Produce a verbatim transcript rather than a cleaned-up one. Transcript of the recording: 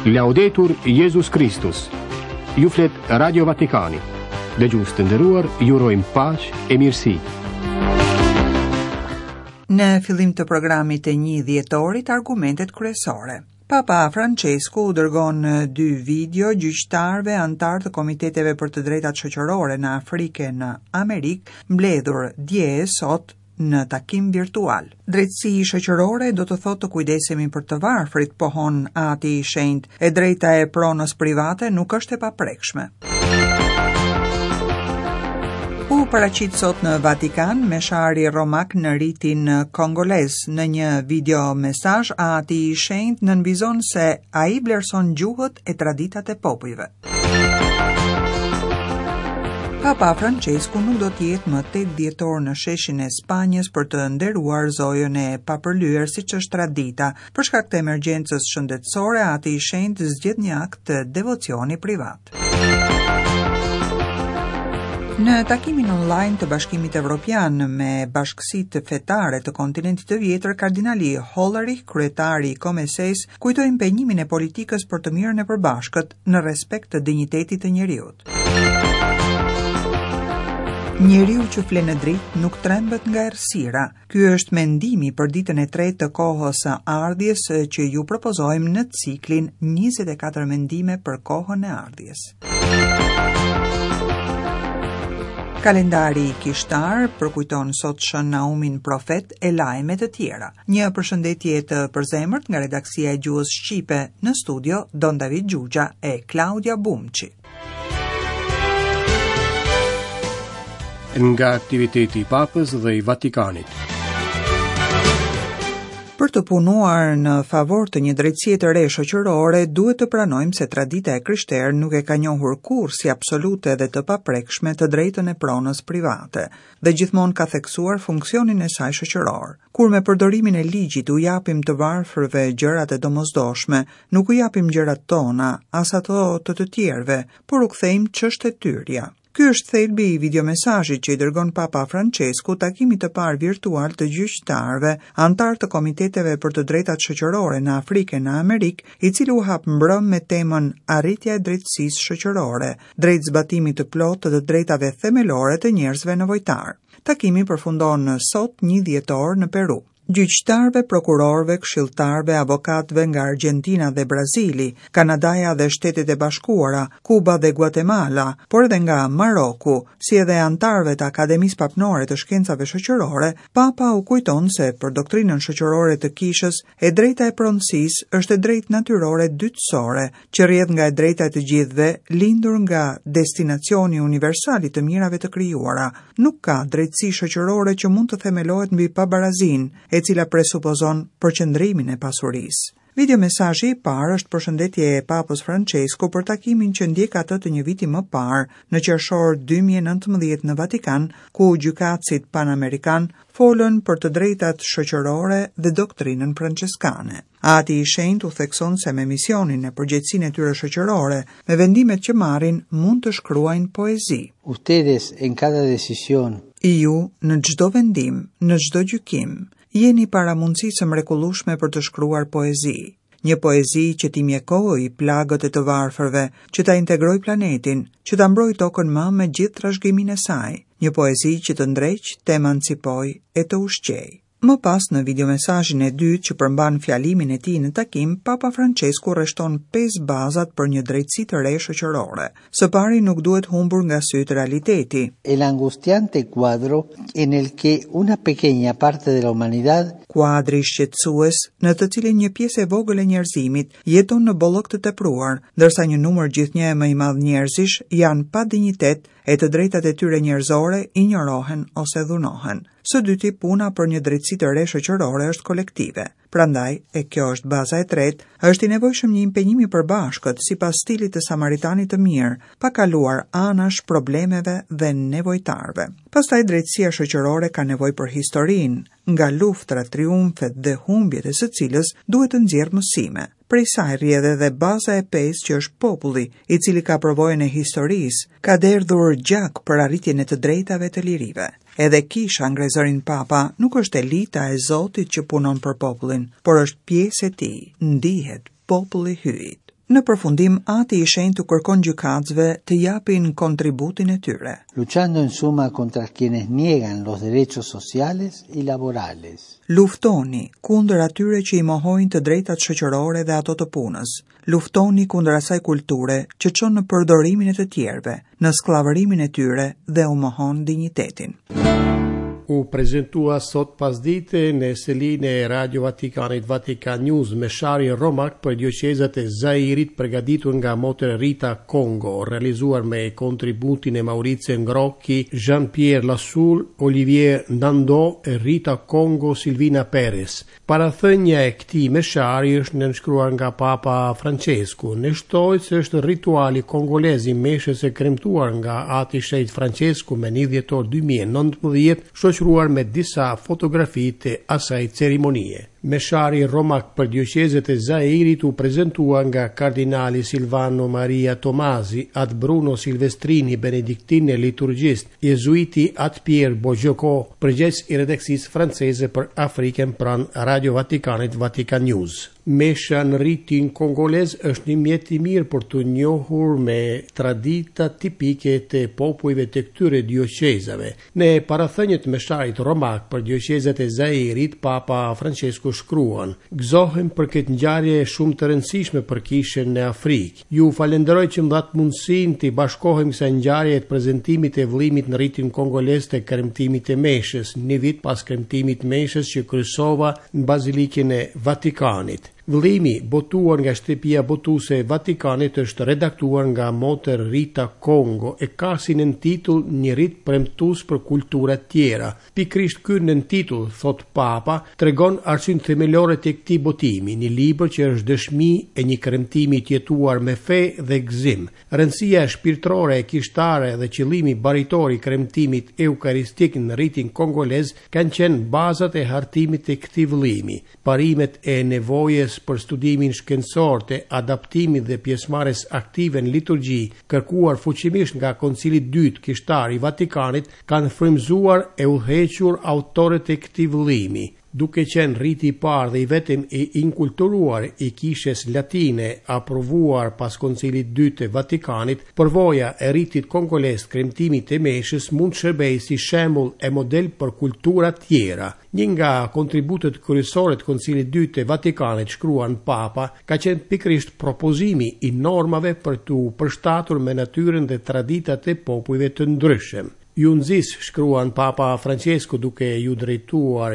Laudetur Jezus Kristus. Ju flet Radio Vatikani. Dëgjues të nderuar, ju urojmë paqe e mirësi. Në fillim të programit të një dhjetorit, argumentet kryesore. Papa Francesku u dërgon dy video gjyqtarëve anëtarë të komiteteve për të drejtat shoqërore në Afrikë e në Amerikë, mbledhur dje e sot në takim virtual. Drejtësi shoqërore do të thotë të kujdesemi për të varfrit, pohon Ati i Shenjtë. E drejta e pronës private nuk është e paprekshme. U paraqit sot në Vatikan meshari romak në ritin kongolez. Në një video mesazh, Ati i Shenjtë nënvizon se ai vlerëson gjuhët e traditat e popujve. Papa Francesku nuk do të jetë më tetë dhjetor në sheshin e Spanjës për të nderuar Zojën e papërlyer siç është tradita. Për shkak të emergjencës shëndetësore, Ati i Shenjtë zgjedh një akt të devocioni privat. Në takimin online të Bashkimit Evropian me bashkësitë fetare të kontinentit të vjetër, kardinali Hollerich, kryetari i Komesës, kujtoi impenjimin e politikës për të mirën e përbashkët në respekt të dinjitetit të njeriut. Njeriu që fle në dritë nuk trembet nga errësira. Ky është mendimi për ditën e tretë të kohës së ardhjes që ju propozojmë në ciklin njëzet e katër mendime për kohën e ardhjes. Kalendari kishtar përkujton sot Shën Naumin profet e lajme të tjera. Një përshëndetje të përzemërt nga redaksia e gjuhës shqipe në studio Don David Gjugja e Klaudia Bumçi. Nga aktiviteti i Papës dhe i Vatikanit. Për të punuar në favor të një drejtësie të re shoqërore, duhet të pranojmë se tradita e krishterë nuk e ka njohur kurrë si absolute dhe të paprekshme të drejtën e pronës private dhe gjithmonë ka theksuar funksionin e saj shoqëror. Kur me përdorimin e ligjit u japim të varfërve gjërat e domosdoshme, nuk u japim gjërat tona, as ato të të tjerëve, por u kthejmë çështjet e tyrja. Ky është thelbi i videomesazhit që i dërgon Papa Francesku takimit të parë virtual të gjyqtarëve, anëtar të komiteteve për të drejtat shoqërore në Afrikë e në Amerikë, i cili u hap mbrëm me temën Arritja e drejtësisë shoqërore, drejt zbatimit të plotë të të drejtave themelore të njerëzve nevojtar. Takimi përfundon sot një dhjetor në Peru. Gjyqtarëve, prokurorëve, këshilltarëve, avokatëve nga Argentina dhe Brazili, Kanadaja dhe Shtetet e Bashkuara, Kuba dhe Guatemala, por edhe nga Maroku, si edhe anëtarëve të Akademisë Papnore të Shkencave Shoqërore, Papa u kujton se për doktrinën shoqërore të kishës, e drejta e pronësisë është e drejtë natyrore dytësore, që rrjedh nga e drejta e të gjithëve, lindur nga destinacioni universal i të mirave të krijuara. Nuk ka drejtësi shoqërore që mund të themelohet mbi pabarazinë, e cila presupozon përqendrimin e pasurisë. Videomesazhi i parë është përshëndetje e Papës Francesku për takimin që ndjek atë të një viti më parë, në qershor dy mijë e nëntëmbëdhjetë në Vatikan, ku gjykatësit panamerikan folën për të drejtat shoqërore dhe doktrinën franceskane. Ati i Shenjtë u thekson se me misionin e përgjegjësinë e tyre shoqërore, me vendimet që marrin, mund të shkruajnë poezi. Ustedes en cada decisión. Ju në çdo vendim, në çdo gjykim, jeni para mundësisë së mrekullueshme për të shkruar poezi. Një poezi që t'i mjekojë plagët e të varfërve, që ta integrojë planetin, që ta mbrojë tokën më me gjithë trashëgiminë e saj. Një poezi që të ndreq, të emancipojë e të ushqejë. Më pas, në videomesazhin e dytë që përmban fjalimin e tij në takim, Papa Francesku rreshton pesë bazat për një drejtësi të re shoqërore. Së pari, nuk duhet humbur nga sytë realiteti. El angustiante cuadro en el que una pequeña parte de la humanidad, kuadri shqetësues në të cilin një pjesë e vogël e njerëzimit jeton në bollëk të tepruar, ndërsa një numër gjithnjë e më i madh njerëzish janë pa dinjitet e të drejtat e tyre njerëzore injorohen ose dhunohen. Së dyti, puna për një drejtësi të re shoqërore është kolektive. Prandaj, e kjo është baza e tretë, është i nevojshëm një impenjim i përbashkët sipas stilit të Samaritanit të mirë, pa kaluar anash problemeve dhe nevojtarëve. Pastaj, drejtësia shoqërore ka nevojë për historinë, nga luftrat, triumfet dhe humbjet e së cilës duhet të nxjerrë mësime. Prej saj rrjedh edhe baza e pestë që është populli, i cili ka përvojën e historisë, ka derdhur gjak për arritjen e të drejtave të lirive. Edhe kisha, ngrezërin Papa, nuk është elita e Zotit që punon për popullin, por është pjesë e tij, ndihet populli hyjit. Në përfundim, Ati i Shenjtë u kërkon gjykatësve të japin kontributin e tyre. Luchando en suma contra quienes niegan los derechos sociales y laborales. Luftoni kundër atyre që i mohojnë të drejtat shoqërore dhe ato të punës. Luftoni kundër asaj kulture që çon në përdorimin e të tjerëve, në skllavërimin e tyre dhe u mohon dinjitetin. U prezentua sot pasdite në selinë e Radio Vatikanit, Vatican News, meshari romak për dioqezat e Zairit, përgatitur nga Motër Rita Kongo, realizuar me kontributin e Maurizio Ngrocchi, Jean-Pierre Lassoul, Olivier Nando, Rita Kongo, Silvina Perez. Parathënia e këtij meshari është nënshkruar nga Papa Francesku. Ne shtohet se është rituali kongolez i meshës e kremtuar nga Ati Shenjt Francesku me një dhjetor dy mijë e nëntëmbëdhjetë, shoqëruar me disa fotografi të asaj ceremonie. Meshari romak për dioqezët e Zairit u prezentua nga kardinali Silvano Maria Tomasi, At Bruno Silvestrini, benediktin e liturgjist, jezuiti At Pierre Bojoko, përgjegjës i redaksisë franceze për Afrikën pranë Radio Vatikanit, Vatican News. Mesha në ritin kongolez është një mjet i mirë për të njohur me tradita tipike të popujve të këtyre dioqezave. Në parathëniet mesharit romak për dioqezat e Zairit, Papa Francesku shkruan: "Gëzohem për këtë ngjarje shumë të rëndësishme për kishën në Afrikë. Ju falenderoj që më dhatë mundësinë të bashkohem kësaj ngjarje të prezantimit të vëllimit në ritin kongolez të kremtimit të meshës, një vit pas kremtimit të meshës që kryesova në Bazilikën e Vatikanit." Vëllimi, botuar nga shtëpia botuese e Vatikanit, është redaktuar nga Motër Rita Kongo e ka si nëntitull "Një rit premtues për kulturat tjera". Pikërisht ky nëntitull, thot Papa, tregon arsyen themelore të këtij botimi, një libër që është dëshmi e një kremtimi të jetuar me fe dhe gëzim. Rëndësia shpirtërore e kishtare dhe qëllimi baritor i kremtimit eukaristik në ritin kongolez kanë qenë bazat e hartimit të këtij vëllimi. Parimet e nevojës për studimin shkencor të adaptimit dhe pjesëmarrjes aktive në liturgji, kërkuar fuqimisht nga Koncili i Dytë Kishtar i Vatikanit, kanë frymëzuar e udhëhequr autorët e këtij vëllimi. Duke qenë riti i parë dhe i vetëm i inkulturuar i Kishës Latine, aprovuar pas Koncilit Dytë të Vatikanit, përvoja e ritit kongolez të kremtimit të meshës mund të shërbejë si shembull e model për kulturat tjera. Një nga kontributet kryesore të Koncilit Dytë të Vatikanit, shkruan Papa, ka qenë pikërisht propozimi i normave për t'u përshtatur me natyrën dhe traditat e popujve të ndryshëm. "Ju nxis", shkruan Papa Francesco duke ju drejtuar